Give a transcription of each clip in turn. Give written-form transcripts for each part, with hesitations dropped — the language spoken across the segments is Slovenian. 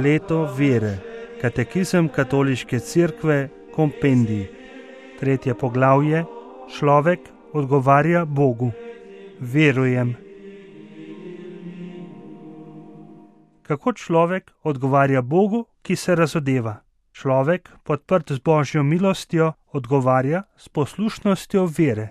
Leto vere. Katekizem Katoliške cerkve, kompendij. 3. poglavje. Človek odgovarja Bogu. Verujem. Kako človek odgovarja Bogu, ki se razodeva? Človek, podprt z Božjo milostjo, odgovarja s poslušnostjo vere.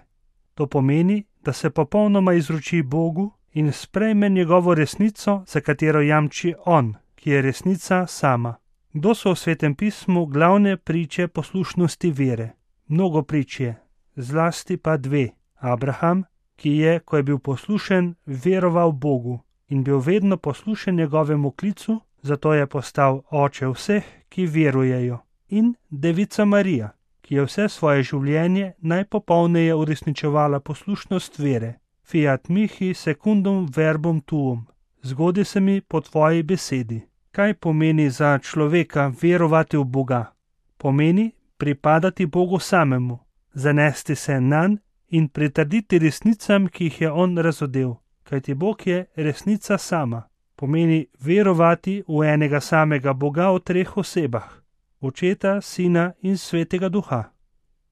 To pomeni, da se popolnoma izroči Bogu in sprejme njegovo resnico, za katero jamči On, ki je resnica sama. Kdo so v Svetem pismu glavne priče poslušnosti vere? Mnogo prič je, zlasti pa dve. Abraham, ki je, ko je bil poslušen, veroval Bogu in bil vedno poslušen njegovemu klicu, zato je postal oče vseh, ki verujejo. In devica Marija, ki je vse svoje življenje najpopolneje uresničevala poslušnost vere. Fiat mihi secundum verbum tuum. Zgodi se mi po tvoji besedi. Kaj pomeni za človeka verovati v Boga? Pomeni pripadati Bogu samemu, zanesti se nanj in pritrditi resnicam, ki jih je On razodel, kajti Bog je resnica sama. Pomeni verovati v enega samega Boga v treh osebah, Očeta, Sina in Svetega Duha.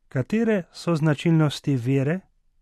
Katere so značilnosti vere?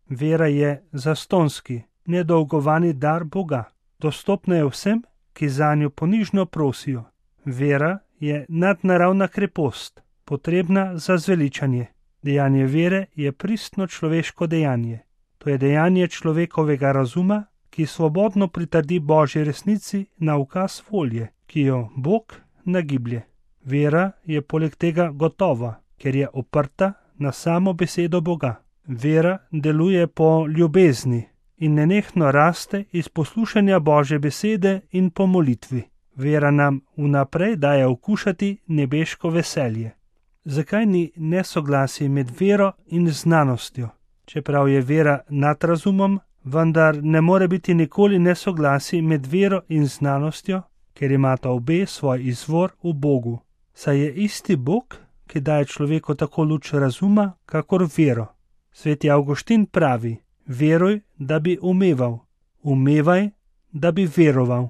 Vera je zastonski, nedolgovani dar Boga. Dostopna je vsem, ki zanjo ponižno prosijo. Vera je nadnaravna krepost, potrebna za zveličanje. Dejanje vere je pristno človeško dejanje. To je dejanje človekovega razuma, ki svobodno pritrdi Božji resnici na ukaz volje, ki jo Bog nagiblje. Vera je poleg tega gotova, ker je oprta na samo besedo Boga. Vera deluje po ljubezni in nenehno raste iz poslušanja Božje besede in po molitvi. Vera nam vnaprej daje okušati nebeško veselje. Zakaj ni nesoglasij med vero in znanostjo? Čeprav je vera nad razumom, vendar ne more biti nikoli nesoglasij med vero in znanostjo, ker imata obe svoj izvor v Bogu. Saj je isti Bog, ki daje človeku tako luč razuma, kakor vero. Sveti Avguštin pravi: veruj, da bi umeval, umevaj, da bi veroval.